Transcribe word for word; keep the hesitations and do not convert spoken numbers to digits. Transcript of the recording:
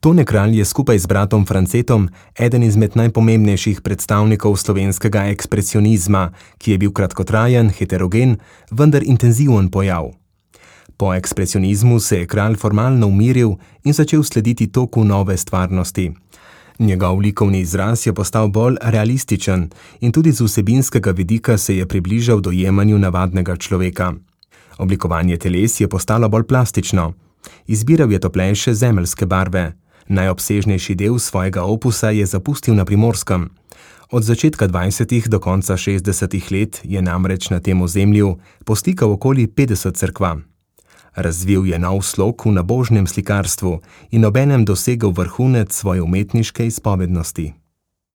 Tone Kralj je skupaj z bratom Francetom eden izmed najpomembnejših predstavnikov slovenskega ekspresionizma, ki je bil kratkotrajen, heterogen, vendar intenziven pojav. Po ekspresionizmu se je Kralj formalno umiril in začel slediti toku nove stvarnosti. Njegov likovni izraz je postal bolj realističen in tudi z vsebinskega vidika se je približal dojemanju navadnega človeka. Oblikovanje teles je postalo bolj plastično. Izbiral je toplejše zemeljske barve. Najobsežnejši del svojega opusa je zapustil na Primorskem. Od začetka dvajsetih do konca šestdesetih let je namreč na tem ozemlju poslikal okoli petdeset cerkva. Razvil je nov slog v nabožnem slikarstvu in obenem dosegel vrhunec svoje umetniške izpovednosti.